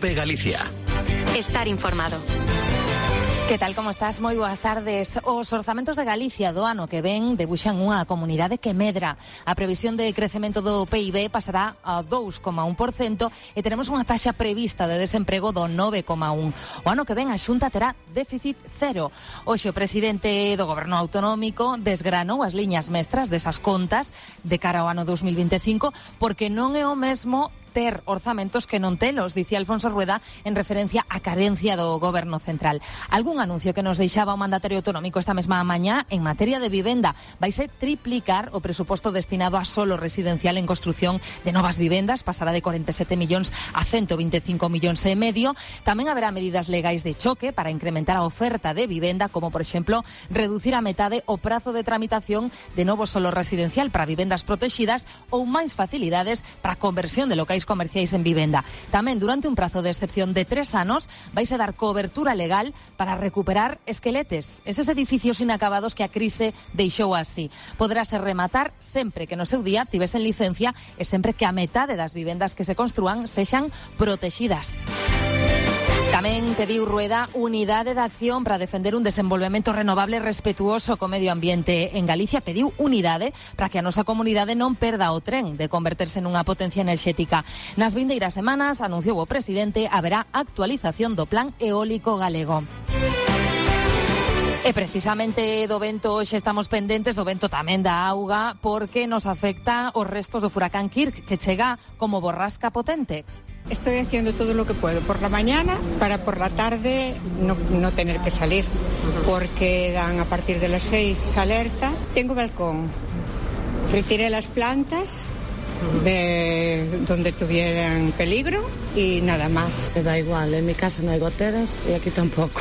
COPE Galicia. Estar informado. Que tal, como estás? Moi boas tardes. Os orzamentos de Galicia do ano que ven debuxan unha comunidade que medra. A previsión de crecemento do PIB pasará a 2,1% e teremos unha taxa prevista de desemprego do 9,1%. O ano que ven a Xunta terá déficit cero. Hoxe o presidente do Goberno Autonómico desgranou as liñas mestras desas contas de cara ao ano 2025 porque non é o mesmo ter orzamentos que non telos, dicía Alfonso Rueda en referencia á carencia do Goberno Central. Algún anuncio que nos deixaba o mandatario autonómico esta mesma mañá en materia de vivenda. Vaise triplicar o presuposto destinado a solo residencial en construción de novas vivendas, pasará de 47 millóns a 125 millóns e medio. Tamén haberá medidas legais de choque para incrementar a oferta de vivenda, como por exemplo reducir a metade o prazo de tramitación de novo solo residencial para vivendas protegidas ou máis facilidades para a conversión de locais comerciais en vivenda. Tamén, durante un prazo de excepción de 3 anos, vaise dar cobertura legal para recuperar esqueletes, eses edificios inacabados que a crise deixou así. Poderase rematar sempre que no seu día tivesen licencia e sempre que a metade das vivendas que se construan sexan protegidas. Tamén pediu Rueda unidade de acción para defender un desenvolvemento renovable respetuoso co medio ambiente en Galicia. Pediu unidade para que a nosa comunidade non perda o tren de converterse nunha potencia enerxética. Nas vindeiras semanas, anunciou o presidente, haberá actualización do plan eólico galego. E precisamente do vento hoxe estamos pendentes, do vento tamén da auga, porque nos afecta os restos do furacán Kirk, que chega como borrasca potente. Estoy haciendo todo lo que puedo por la mañana para por la tarde no tener que salir, porque dan a partir de las 6 alerta. Tengo balcón, retiré las plantas de donde tuvieran peligro y nada más. Me da igual, en mi casa no hay goteras y aquí tampoco.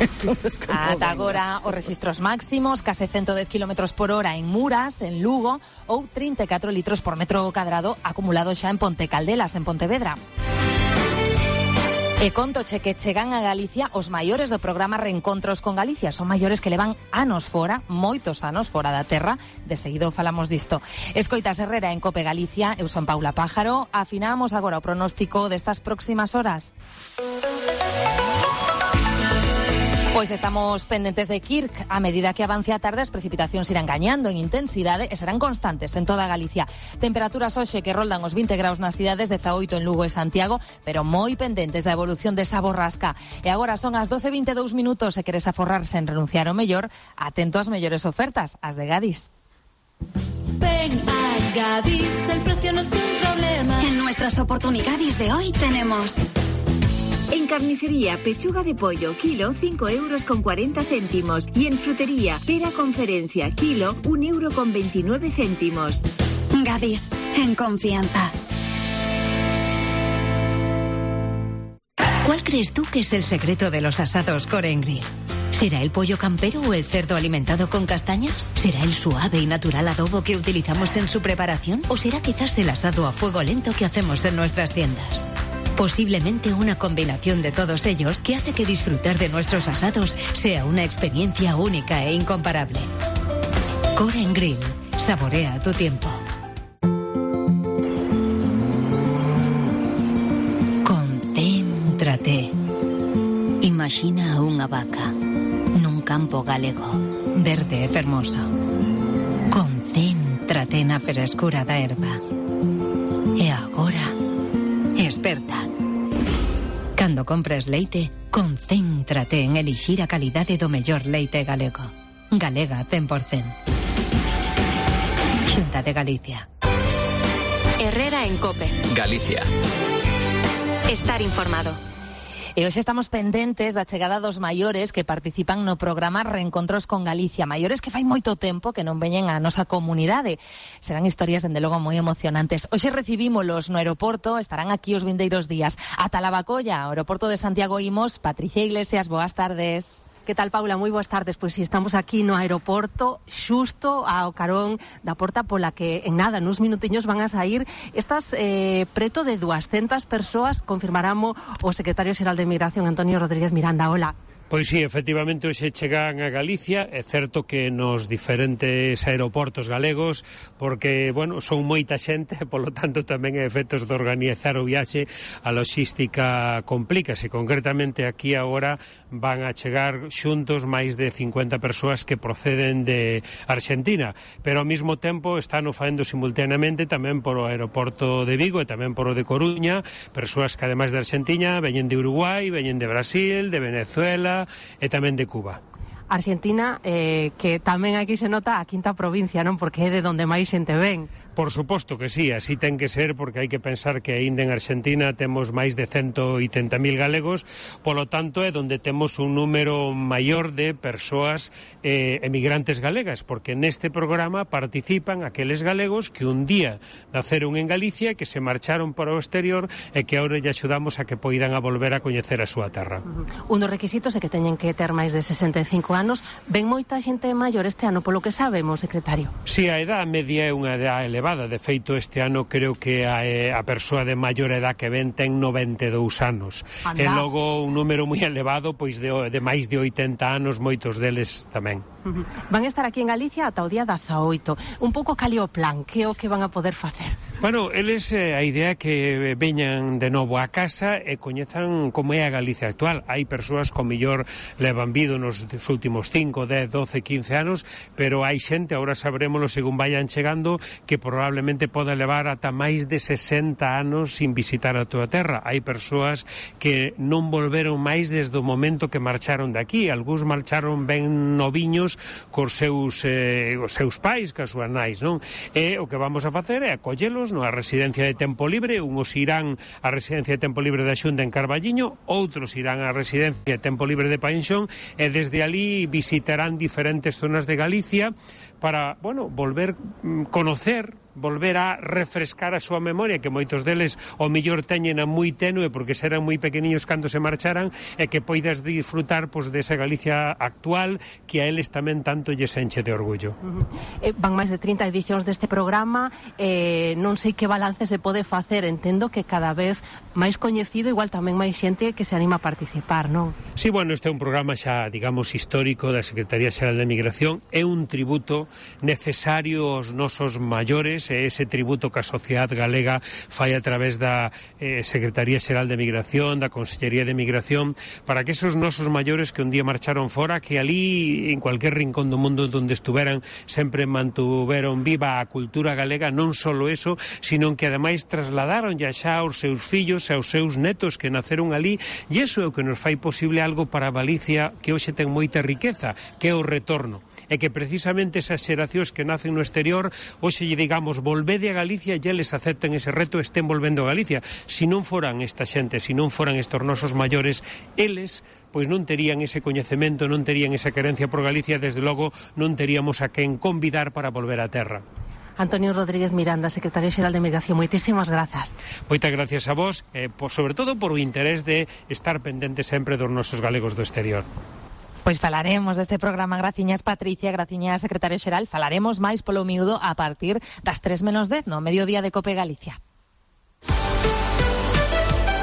Entonces, ata agora os rexistros máximos, case 110 km por hora en Muras, en Lugo, ou 34 litros por metro cadrado acumulado xa en Ponte Caldelas, en Pontevedra. E contoche que chegan a Galicia os maiores do programa Reencontros con Galicia. Son maiores que levan anos fora, moitos anos fora da terra. De seguido falamos disto. Escoitas Herrera en COPE Galicia, eu son Paula Pájaro. Afinamos agora o pronóstico destas próximas horas. Pois estamos pendentes de Kirk. A medida que avance a tarde, as precipitacións irán gañando en intensidade e serán constantes en toda Galicia. Temperaturas hoxe que roldan os 20 graus nas cidades, 18 en Lugo e Santiago, pero moi pendentes da evolución desa borrasca. E agora son as 12:22 minutos. Se queres aforrar sen renunciar ao mellor, atento ás mellores ofertas, as de Gadis. Ven a Gadis, el precio no es un problema. En nuestras oportunidades de hoy tenemos... En carnicería, pechuga de pollo, kilo, 5,40 €. Y en frutería, pera conferencia, kilo, 1,29 €. Gadis, en confianza. ¿Cuál crees tú que es el secreto de los asados Core & Grill? ¿Será el pollo campero o el cerdo alimentado con castañas? ¿Será el suave y natural adobo que utilizamos en su preparación? ¿O será quizás el asado a fuego lento que hacemos en nuestras tiendas? Posiblemente una combinación de todos ellos que hace que disfrutar de nuestros asados sea una experiencia única e incomparable. Core & Grill. Saborea tu tiempo. Concéntrate. Imagina unha vaca nun campo galego, verde e fermoso. Concéntrate na frescura da erva. E agora, esperta. Cando compres leite, concéntrate en elixir a calidade do mellor leite galego. Galega 100%. Xunta de Galicia. Herrera en COPE. Galicia. Estar informado. E hoxe estamos pendentes da chegada dos maiores que participan no programa Reencontros con Galicia. Maiores que fai moito tempo que non veñen á nosa comunidade. Serán historias, dende logo, moi emocionantes. Hoxe recibímolos no aeroporto, estarán aquí os vindeiros días. Ata Lavacolla, aeroporto de Santiago imos. Patricia Iglesias, boas tardes. Que tal, Paula? Moi boas tardes. Pois si estamos aquí no aeroporto, xusto ao carón da porta pola que en nada, nuns minutiños van a sair estas preto de 200 persoas, confirmaramo o secretario xeral de Migración, Antonio Rodríguez Miranda. Hola. Pois sí, efectivamente, hoxe chegan a Galicia. É certo que nos diferentes aeroportos galegos, porque, bueno, son moita xente, polo tanto tamén é efectos de organizar o viaxe, a logística complícase. Concretamente aquí agora van a chegar xuntos máis de 50 persoas que proceden de Argentina, pero ao mesmo tempo están o faendo simultaneamente tamén por o aeroporto de Vigo e tamén por o de Coruña, persoas que ademais de Argentina veñen de Uruguai, veñen de Brasil, de Venezuela e tamén de Cuba. Argentina, que tamén aquí se nota a quinta provincia, non? Porque é de onde máis xente ven. Por suposto que sí, así ten que ser, porque hai que pensar que aínda en Argentina temos máis de 180.000 galegos, polo tanto é onde temos un número maior de persoas emigrantes galegas, porque neste programa participan aqueles galegos que un día naceron en Galicia, que se marcharon para o exterior e que agora lle axudamos a que poidan a volver a coñecer a súa terra. Un dos requisitos é que teñen que ter máis de 65 anos. Ven moita xente maior este ano, polo que sabemos, secretario. Si, a edad media é unha edad elevada. De feito, este ano creo que a persoa de maior edad que ven ten 92 anos. Anda. E logo un número moi elevado, pois de máis de 80 anos, moitos deles tamén. Van a estar aquí en Galicia ata o día 18. Un pouco cal é o plan, que é o que van a poder facer? Bueno, eles a idea é que veñan de novo a casa e coñezan como é a Galicia actual. Hai persoas que mellor levan vido nos últimos 5, 10, 12, 15 anos, pero hai xente, agora sabrémoslo según vayan chegando, que probablemente poda levar ata máis de 60 anos sin visitar a túa terra. Hai persoas que non volveron máis desde o momento que marcharon de aquí. Algúns marcharon ben noviños cos seus pais, cas súas nais, non? E o que vamos a facer é acollelos na residencia de tempo libre. Uns irán á residencia de tempo libre da Xunta en Carballiño, outros irán á residencia de tempo libre de Painxón e desde ali visitarán diferentes zonas de Galicia para, bueno, volver conocer, volver a refrescar a súa memoria, que moitos deles o mellor teñen a moi tenue porque serán moi pequeniños cando se marcharan, e que poidas disfrutar pois desa Galicia actual que a eles tamén tanto lles enche de orgullo. Van máis de 30 edicións deste programa, non sei que balance se pode facer, entendo que cada vez máis coñecido, igual tamén máis xente que se anima a participar, non? Sí, bueno, este é un programa xa, digamos, histórico da Secretaría Xeral de Migración, é un tributo necesario aos nosos maiores, e ese tributo que a sociedade galega fai a través da Secretaría Xeral de Migración, da Consellería de Migración, para que esos nosos maiores que un día marcharon fora, que ali, en cualquier rincón do mundo onde estuveran, sempre mantuveron viva a cultura galega, non só eso, sino que ademais trasladaron xa aos seus fillos e aos seus netos que naceron ali, e iso é o que nos fai posible algo para Galicia que hoxe ten moita riqueza, que é o retorno. E que precisamente esas xeracións que nacen no exterior, hoxe lle digamos, volvede a Galicia e eles acepten ese reto e estén volvendo a Galicia. Se non foran esta xente, se non foran estos nosos maiores, eles pois non terían ese coñecemento, non terían esa querencia por Galicia, desde logo non teríamos a quen convidar para volver á terra. Antonio Rodríguez Miranda, secretario xeral de Migración, moitísimas grazas. Moitas gracias a vos, sobre todo por o interés de estar pendente sempre dos nosos galegos do exterior. Pois falaremos deste programa, graciñas Patricia, graciñas secretario xeral, falaremos máis polo miúdo a partir das 3:10 no mediodía de Cope Galicia.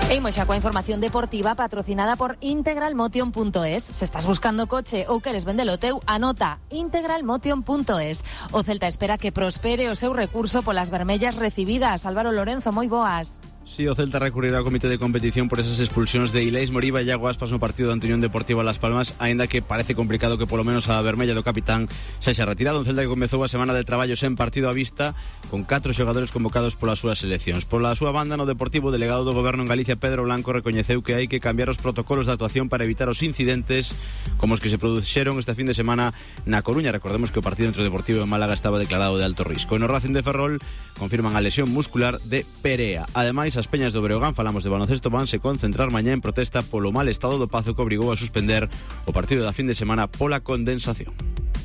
E imos xa coa información deportiva patrocinada por integralmotion.es. Se estás buscando coche ou queres vendelo teu, anota integralmotion.es. O Celta espera que prospere o seu recurso polas vermellas recibidas. Álvaro Lorenzo, moi boas. Sí, o Celta recurrirá ao comité de competición por esas expulsións de Ilais Moriba e Iago Aspas no partido da Unión Deportiva Las Palmas, aínda que parece complicado que polo menos a vermella do capitán xa xa retirado. Un Celta que comezou a semana de traballo sen partido á vista, con 4 xogadores convocados polas súas seleccións. Pola súa banda, no Deportivo, o delegado do Goberno en Galicia, Pedro Blanco, recoñeceu que hai que cambiar os protocolos de actuación para evitar os incidentes como os que se produxeron este fin de semana na Coruña. Recordemos que o partido entre o Deportivo e Málaga estaba declarado de alto risco. E no Racing de Ferrol confirman a lesión muscular de Perea. Ademais, as Peñas do Breogán, falamos de baloncesto, vanse concentrar mañá en protesta polo mal estado do Pazo que obrigou a suspender o partido da fin de semana pola condensación.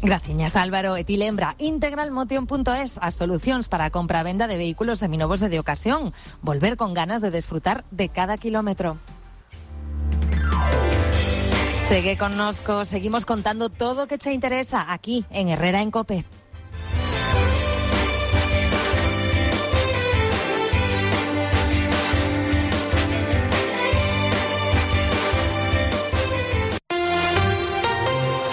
Graciñas, Álvaro. E ti lembra, integralmotion.es, as solucións para a compra e venda de vehículos seminovos e de ocasión. Volver con ganas de desfrutar de cada kilómetro. Segue connosco, seguimos contando todo o que che interesa aquí en Herrera en Cope.